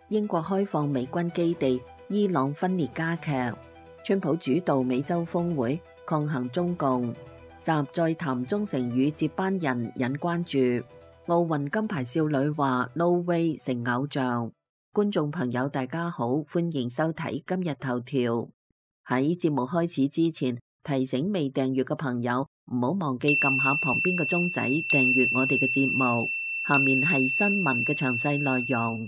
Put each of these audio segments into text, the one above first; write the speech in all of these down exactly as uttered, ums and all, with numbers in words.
英國開放美軍基地，伊朗分裂加劇。川普主導美洲峰會抗衡中共，習在談忠誠與接班人引關注。奧運金牌少女話 No way 成偶像。觀眾朋友大家好，歡迎收睇今日頭條。喺節目開始之前，提醒未訂閱嘅朋友唔好忘記撳下旁邊嘅鐘仔訂閱我哋嘅節目。下面係新聞嘅詳細內容。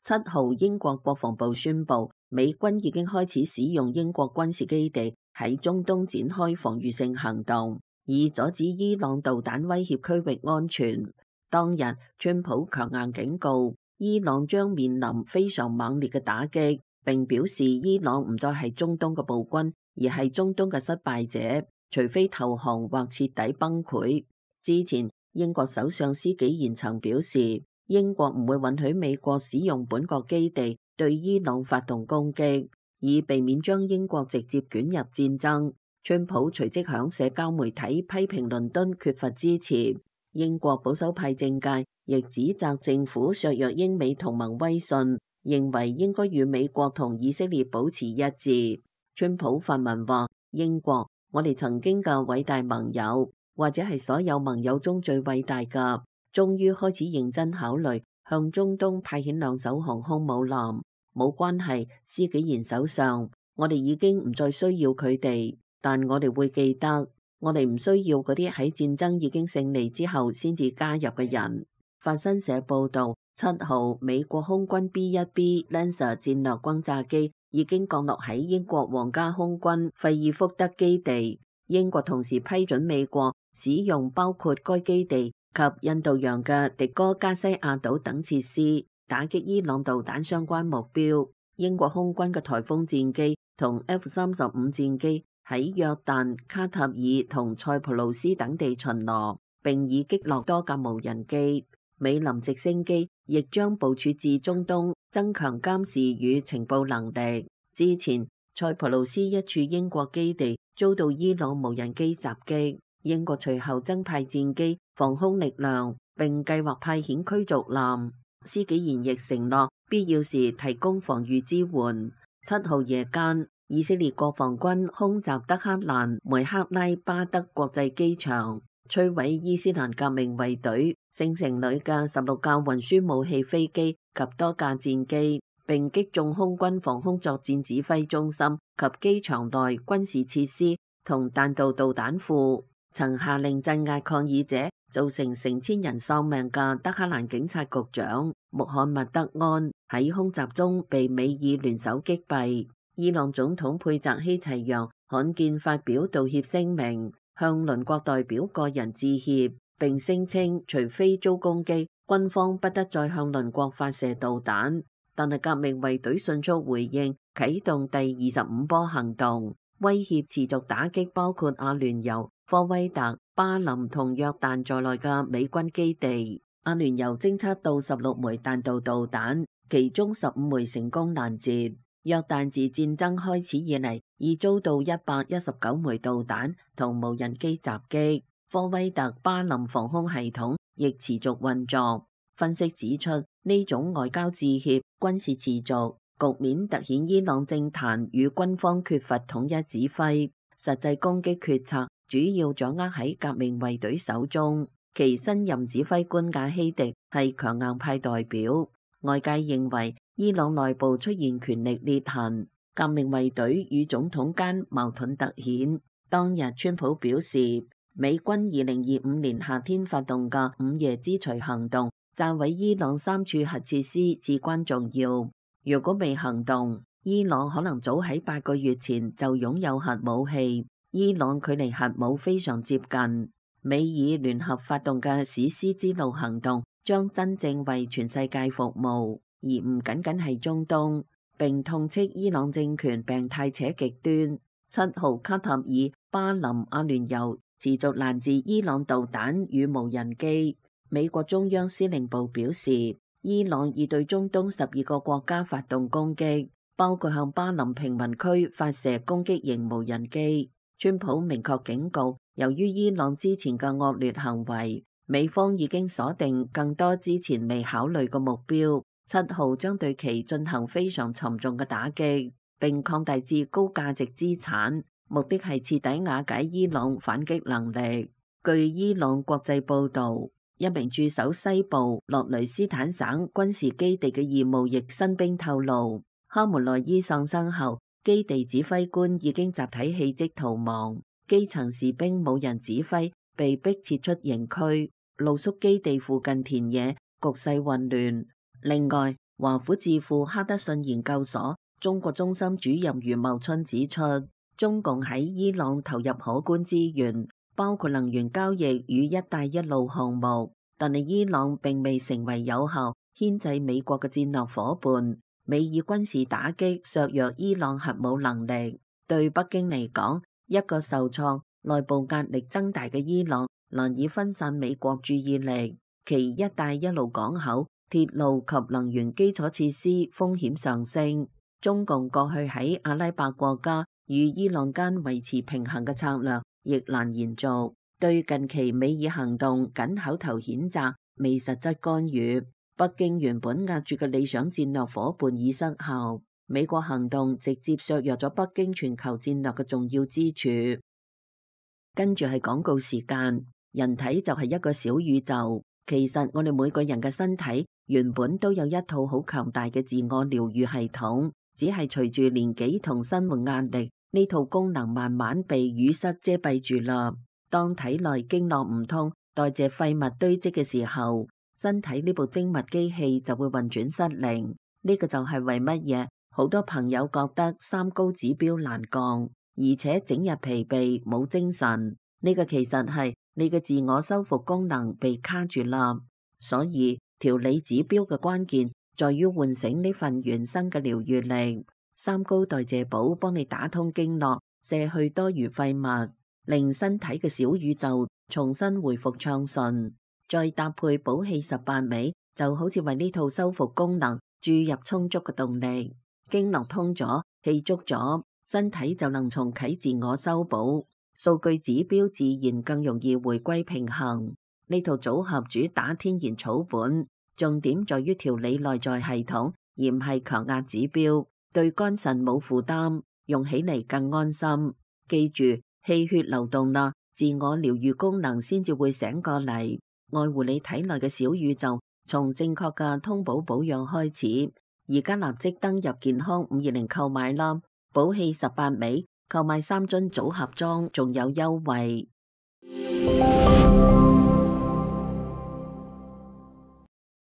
七號，英國國防部宣布，美軍已經開始使用英國軍事基地喺中東展開防禦性行動，以阻止伊朗導彈威脅區域安全。當日，川普強硬警告，伊朗將面臨非常猛烈嘅打擊，並表示伊朗唔再係中東嘅暴君，而係中東嘅失敗者，除非投降或徹底崩潰。之前，英國首相施紀賢曾表示，英國唔會允許美國使用本國基地對伊朗發動攻擊，以避免將英國直接捲入戰爭。川普隨即響社交媒體批評倫敦缺乏支持。英國保守派政界亦指責政府削弱英美同盟威信，認為應該與美國同以色列保持一致。川普發文話：英國，我哋曾經嘅偉大盟友，或者係所有盟友中最偉大嘅，終於開始認真考慮向中東派遣兩艘航空母艦。冇關係，施紀賢首相，我哋已經唔再需要佢哋，但我哋會記得，我哋唔需要嗰啲喺戰爭已經勝利之後先至加入嘅人。法新社報道，七號美國空軍 B 一 B Lancer 戰略轟炸機已經降落喺英國皇家空軍費爾福德基地。英國同時批准美國使用包括該基地及印度洋嘅迪戈加西亞島等設施，打擊伊朗導彈相關目標。英國空軍嘅颱風戰機同 F 三十五戰機喺約旦、卡塔爾同塞浦路斯等地巡邏，並已擊落多架無人機。美林直升機亦將部署至中東，增強監視與情報能力。之前，塞浦路斯一處英國基地遭到伊朗無人機襲擊，英國隨後增派戰機、防空力量，並計劃派遣驅逐艦。施紀賢亦承諾必要時提供防禦支援。七號夜間，以色列國防軍空襲德黑蘭梅克拉巴德國際機場，摧毀伊斯蘭革命衛隊聖城旅嘅十六架運輸武器飛機及多架戰機，並擊中空軍防空作戰指揮中心及機場內軍事設施同彈道導彈庫。曾下令鎮壓抗議者，造成成千人喪命嘅德黑蘭警察局長穆罕默德安喺空襲中被美以聯手擊斃。伊朗總統佩澤希齊揚罕見發表道歉聲明，向鄰國代表個人致歉，並聲稱除非遭攻擊，軍方不得再向鄰國發射導彈。但係革命衛隊迅速回應，啟動第二十五波行動，威脅持續打擊包括阿聯酋、科威特、巴林同約旦在內嘅美軍基地。阿聯酋偵測到十六枚彈道導彈，其中十五枚成功攔截。約旦自戰爭開始以嚟，已遭到一百一十九枚導彈同無人機襲擊。科威特巴林防空系統亦持續運作。分析指出，呢種外交致歉、軍事持續局面凸顯伊朗政壇與軍方缺乏統一指揮，實際攻擊決策主要掌握喺革命衛隊手中。其新任指揮官賈希迪係強硬派代表。外界認為伊朗內部出現權力裂痕，革命衛隊與總統間矛盾凸顯。當日川普表示，美軍二零二五年夏天發動嘅午夜之鎚行動，炸毀伊朗三處核設施至關重要。如果未行動，伊朗可能早喺八個月前就擁有核武器。伊朗距離核武非常接近。美以聯合發動嘅史詩之路行動將真正為全世界服務，而唔僅僅係中東，並痛斥伊朗政權病態且極端。七號，卡塔爾、巴林、阿聯酋持續攔截伊朗導彈與無人機。美國中央司令部表示，伊朗已對中東十二個國家發動攻擊，包括向巴林平民區發射攻擊型無人機。川普明確警告，由於伊朗之前嘅惡劣行為，美方已經鎖定更多之前未考慮嘅目標。七號將對其進行非常沉重嘅打擊，並擴大至高價值資產，目的係徹底瓦解伊朗反擊能力。據伊朗國際報導，一名駐守西部洛雷斯坦省軍事基地嘅義務役新兵透露，哈梅內伊喪生後，基地指揮官已經集體棄職逃亡，基層士兵冇人指揮，被迫撤出營區，露宿基地附近田野，局勢混亂。另外，華府智庫哈德遜研究所中國中心主任余茂春指出，中共喺伊朗投入可觀資源，包括能源交易與一帶一路項目，但係伊朗並未成為有效牽制美國嘅戰略夥伴。美以軍事打擊削弱伊朗核武能力，對北京嚟講，一個受創、內部壓力增大嘅伊朗難以分散美國注意力，其一帶一路港口、鐵路及能源基礎設施風險上升。中共過去喺阿拉伯國家與伊朗間維持平衡嘅策略亦難延續，對近期美以行動僅口頭譴責，未實質干預。北京原本壓住嘅理想戰略夥伴已失效，美國行動直接削弱咗北京全球戰略嘅重要支柱。跟住係廣告時間。人體就係一個小宇宙，其實我哋每個人嘅身體原本都有一套好強大嘅自我療愈系統，只係隨住年紀同生活壓力，呢套功能慢慢被淤塞遮蔽住啦。當體內經絡唔通，代謝廢物堆積嘅時候，身體呢部精密機器就會運轉失靈。呢個就係為乜嘢好多朋友覺得三高指標難降，而且整日疲憊冇精神。呢個其實係你嘅自我修復功能被卡住啦。所以調理指標嘅關鍵在於喚醒呢份原生嘅療愈力。三高代謝寶幫你打通經絡，卸去多餘廢物，令身體嘅小宇宙重新回復暢順。再搭配補氣十八味，就好似為呢套修復功能注入充足嘅動力。經絡通咗，氣足咗，身體就能重啟自我修補，數據指標自然更容易回歸平衡。呢套組合主打天然草本，重點在於調理內在系統，而唔係強壓指標，對肝腎冇負擔，用起嚟更安心。記住，氣血流動啦，自我療愈功能先至會醒過嚟。愛護你體內嘅小宇宙，從正確嘅通補保養開始。而家立即登入健康五二零購買啦！補氣十八味，購買三樽組合裝，仲有優惠。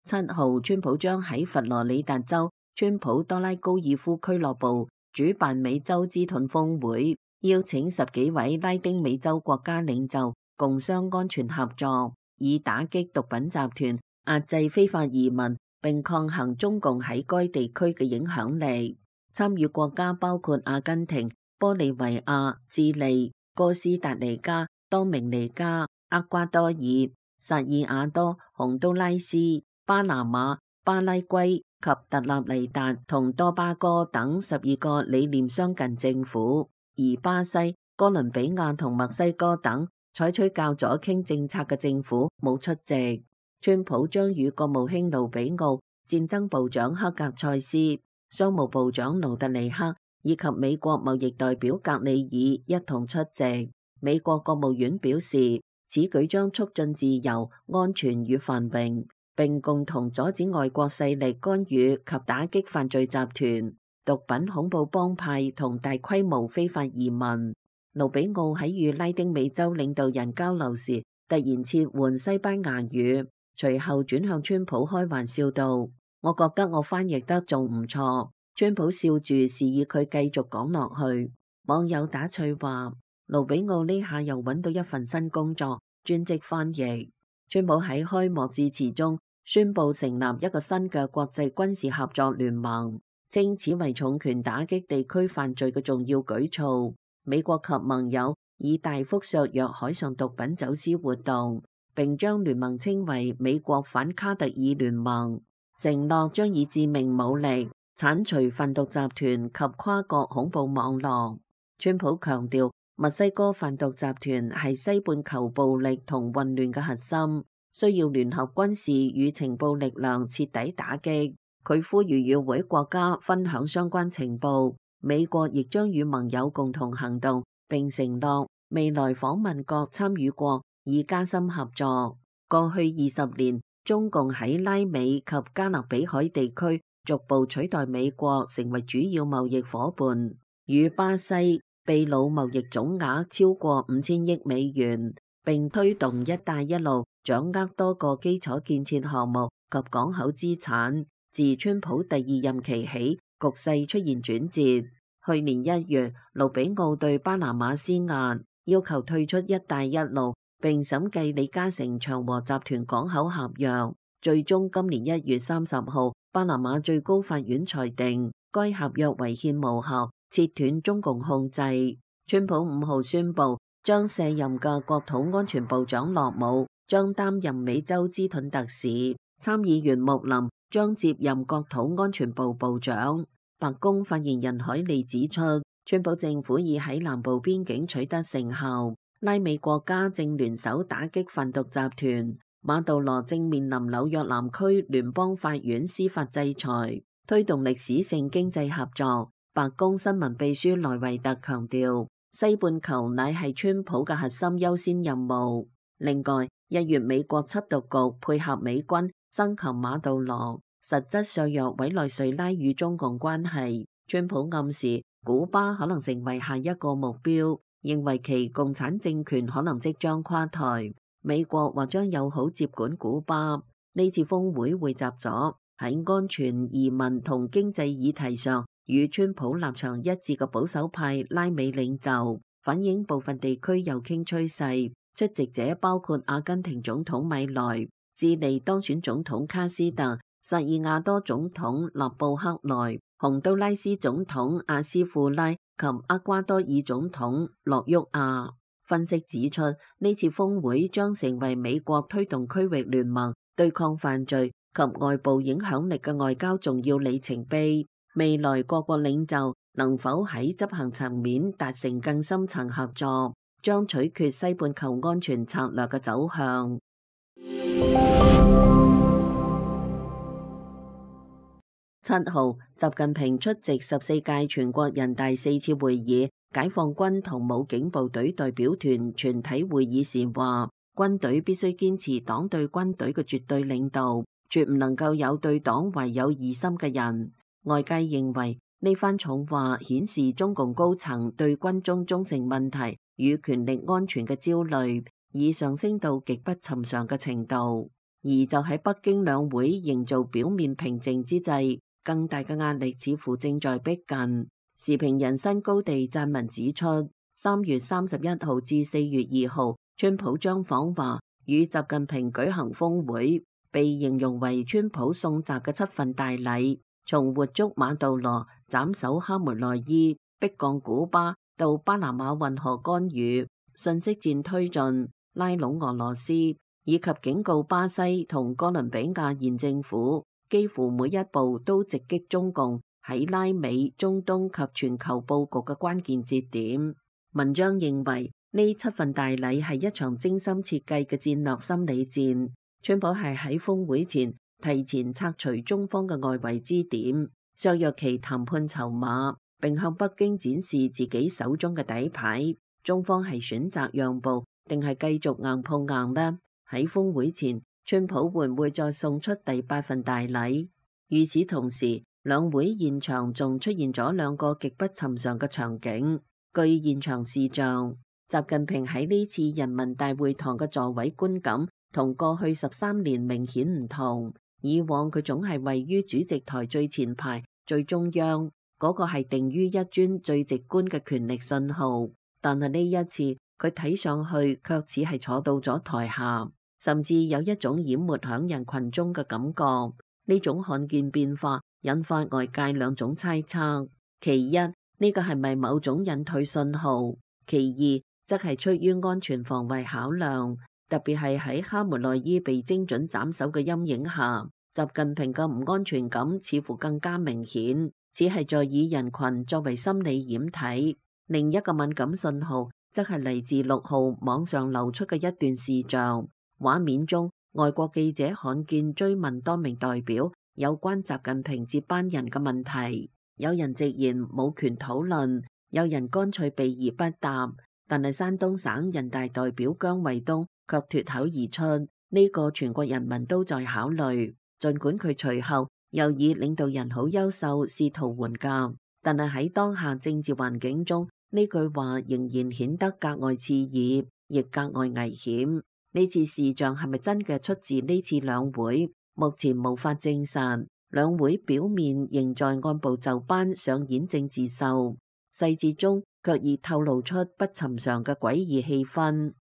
七號，川普將喺佛羅里達州川普多拉高爾夫俱樂部主辦美洲之盾峰會，邀請十幾位拉丁美洲國家領袖共商安全合作，以打擊毒品集團、壓制非法移民，並抗衡中共喺該地區嘅影響力。參與國家包括阿根廷、玻利維亞、智利、哥斯達黎加、多明尼加、厄瓜多爾、薩爾瓦多、洪都拉斯、巴拿馬、巴拉圭及特立尼達同多巴哥等十二個理念相近政府，而巴西、哥倫比亞同墨西哥等採取較左傾政策嘅政府冇出席。川普將與國務卿盧比奧、戰爭部長克格塞斯、商務部長盧特尼克以及美國貿易代表格里爾一同出席。美國國務院表示，此舉將促進自由、安全與繁榮，並共同阻止外國勢力干預及打擊犯罪集團、毒品恐怖幫派同大規模非法移民。盧比奧喺與拉丁美洲領導人交流時，突然切換西班牙語。隨後轉向川普開玩笑道：我覺得我翻譯得仲唔錯。川普笑住示意佢繼續講落去。網友打趣話：盧比奧呢下又揾到一份新工作，專職翻譯。川普喺開幕致辭中宣布成立一個新嘅國際軍事合作聯盟，稱此為重拳打擊地區犯罪嘅重要舉措。美國及盟友以大幅削弱海上毒品走私活動，並將聯盟稱為美國反卡特爾聯盟，承諾將以致命武力剷除販毒集團及跨國恐怖網絡。川普強調，墨西哥販毒集團係西半球暴力同混亂嘅核心，需要聯合軍事與情報力量徹底打擊。佢呼籲與會國家分享相關情報，美國亦將與盟友共同行動，並承諾未來訪問各參與國以加深合作。過去二十年，中共喺拉美及加勒比海地區逐步取代美國成為主要貿易夥伴，與巴西、秘魯貿易總額超過五千億美元，並推動一帶一路，掌握多個基礎建設項目及港口資產。自川普第二任期起，局勢出現轉折。去年一月，盧比奧對巴拿馬施壓，要求退出一帶一路，並審計李嘉誠長和集團港口合約。最終今年一月三十號，巴拿馬最高法院裁定該合約違憲無效，切斷中共控制。川普五號宣布將卸任嘅國土安全部長洛姆將擔任美洲之盾特使，參議員穆林將接任國土安全部部長。白宮發言人海利指出，川普政府已喺南部邊境取得成效，拉美國家正聯手打擊販毒集團。馬杜羅正面臨紐約南區聯邦法院司法制裁，推動歷史性經濟合作。白宮新聞秘書萊維特強調，西半球乃係川普嘅核心優先任務。另外，一月美國緝毒局配合美軍生擒馬杜羅，實質削弱委內瑞拉與中共關係。川普暗示古巴可能成為下一個目標，認為其共產政權可能即將垮台，美國或將友好接管古巴。呢次峰會匯集咗喺安全、移民同經濟議題上與川普立場一致嘅保守派拉美領袖，反映部分地區右傾趨勢。出席者包括阿根廷總統米萊、智利當選總統卡斯特、薩爾瓦多總統納布克萊、洪都拉斯總統阿斯庫拉及厄瓜多爾總統諾沃亞。分析指出，呢次峰會將成為美國推動區域聯盟、對抗犯罪及外部影響力嘅外交重要里程碑。未來各國領袖能否喺執行層面達成更深層合作，將取決西半球安全策略嘅走向。七號，習近平出席十四屆全國人大四次會議解放軍同武警部隊代表團全體會議時話，軍隊必須堅持黨對軍隊嘅絕對領導，絕唔能夠有對黨懷有異心嘅人。外界認為呢番重話顯示中共高層對軍中忠誠問題與權力安全嘅焦慮已上升到極不尋常嘅程度。而就喺北京兩會營造表面平靜之際，更大嘅壓力似乎正在逼近。時評人新高地撰文指出，三月三十一號至四月二號，川普將訪華與習近平舉行峰會，被形容為川普送習嘅七份大禮。從活捉馬杜羅、斬首哈梅內伊、逼降古巴到巴拿馬運河干預、信息戰推進、拉攏俄羅斯，以及警告巴西同哥倫比亞現政府，幾乎每一步都直擊中共喺拉美、中東及全球佈局嘅關鍵節點。文章認為呢七份大禮係一場精心設計嘅戰略心理戰。川普係喺峰會前提前拆除中方嘅外圍支點，削弱其談判籌碼，並向北京展示自己手中嘅底牌。中方係選擇讓步，定係繼續硬碰硬呢？喺峰會前，川普會唔會再送出第八份大禮？與此同時，兩會現場仲出現咗兩個極不尋常嘅場景。據現場視像，習近平喺呢次人民大會堂嘅座位觀感同過去十三年明顯唔同。以往佢總係位於主席台最前排、最中央，嗰個係定於一尊最直觀嘅權力信號。但係呢一次，佢睇上去卻似係坐到咗台下，甚至有一種淹沒響人群中嘅感覺。呢種看見變化，引發外界兩種猜測。其一，呢個係咪某種隱退信號？其二，則係出於安全防衛考量。特別係喺哈梅內伊被精準斬首嘅陰影下，習近平嘅唔安全感似乎更加明顯，只係在以人群作為心理掩體。另一個敏感信號則係嚟自六號網上流出嘅一段視像，畫面中外國記者罕見追問多名代表有關習近平接班人嘅問題，有人直言冇權討論，有人乾脆避而不答，但係山東省人大代表姜衛東卻脫口而出，呢個全國人民都在考慮。儘管佢隨後又以領導人好優秀試圖緩頰，但係喺當下政治環境中，呢句話仍然顯得格外刺耳，亦格外危險。呢次視像係咪真嘅出自呢次兩會？目前無法證實。兩會表面仍在按部就班上演政治秀，細節中卻已透露出不尋常嘅詭異氣氛。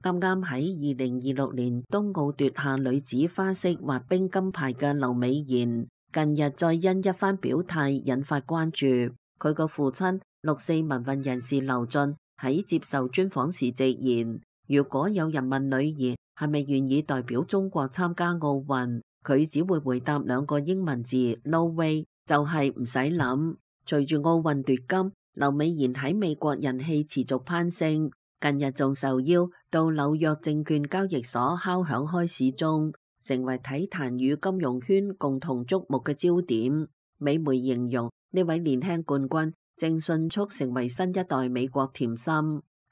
啱啱喺二零二六年冬奧奪下女子花式滑冰金牌嘅劉美妍，近日再因一番表態引發關注。佢個父親六四民運人士劉俊喺接受專訪時直言，如果有人問女兒係咪願意代表中國參加奧運，佢只會回答兩個英文字 No way， 就係唔使諗。隨住奧運奪金，劉美妍喺美國人氣持續攀升。近日仲受邀到紐約證券交易所敲響開市鐘，成為體壇與金融圈共同矚目嘅焦點。美媒形容呢位年輕冠軍正迅速成為新一代美國甜心。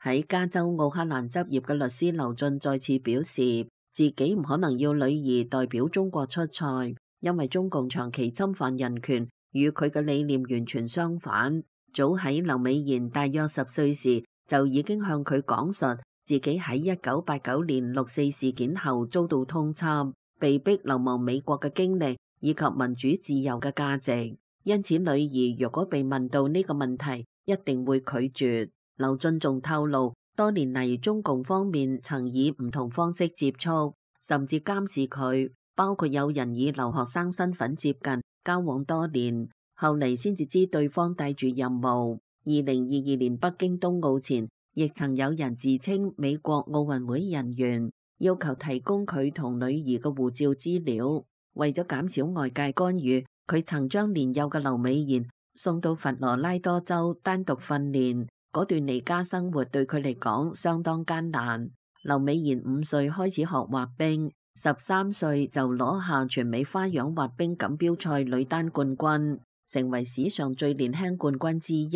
喺加州奧克蘭執業嘅律師劉俊再次表示，自己唔可能要女兒代表中國出賽，因為中共長期侵犯人權，與佢嘅理念完全相反。早喺劉美妍大約十歲時，就已經向佢講述自己喺一九八九年六四事件後遭到通緝，被逼流亡美國嘅經歷，以及民主自由嘅價值。因此，女兒若果被問到呢個問題，一定會拒絕。劉俊仲透露，多年嚟中共方面曾以唔同方式接觸，甚至監視佢，包括有人以留學生身份接近，交往多年，後嚟先至知對方帶住任務。二零二二年北京冬奧前，亦曾有人自稱美國奧運會人員，要求提供佢同女兒嘅護照資料。為咗減少外界干預，佢曾將年幼嘅劉美妍送到佛羅拉多州單獨訓練。嗰段離家生活對佢嚟講相當艱難。劉美妍五歲開始學滑冰，十三歲就攞下全美花樣滑冰錦標賽女單冠軍，成為史上最年輕冠軍之一。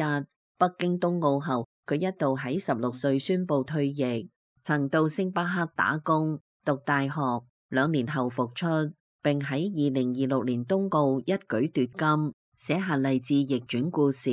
北京冬奧後，佢一度喺十六歲宣布退役，曾到星巴克打工、讀大學，兩年後復出，並喺二零二六年冬奧一舉奪金，寫下勵志逆轉故事。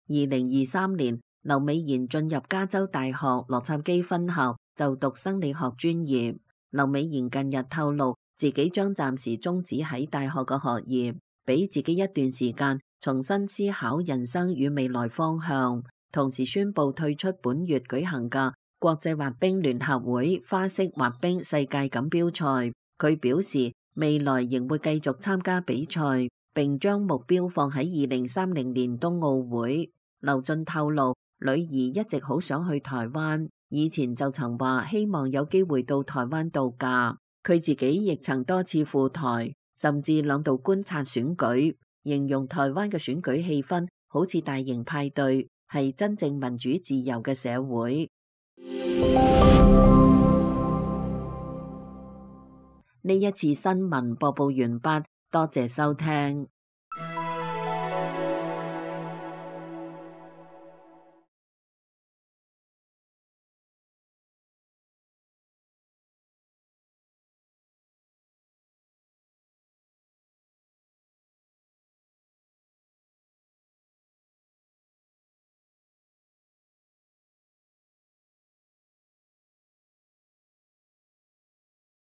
二零二三年，劉美妍進入加州大學洛杉磯分校就讀生理學專業。劉美妍近日透露，自己將暫時終止喺大學嘅學業，俾自己一段時間重新思考人生與未來方向，同時宣布退出本月舉行嘅國際滑冰聯合會花式滑冰世界錦標賽。佢表示未來仍會繼續參加比賽，並將目標放喺二零三零年冬奧會。劉俊透露，女兒一直好想去台灣，以前就曾話希望有機會到台灣度假。佢自己亦曾多次赴台，甚至兩度觀察選舉，形容台灣嘅選舉氣氛好似大型派對，係真正民主自由嘅社會。呢一次新聞播報完畢，多謝收聽。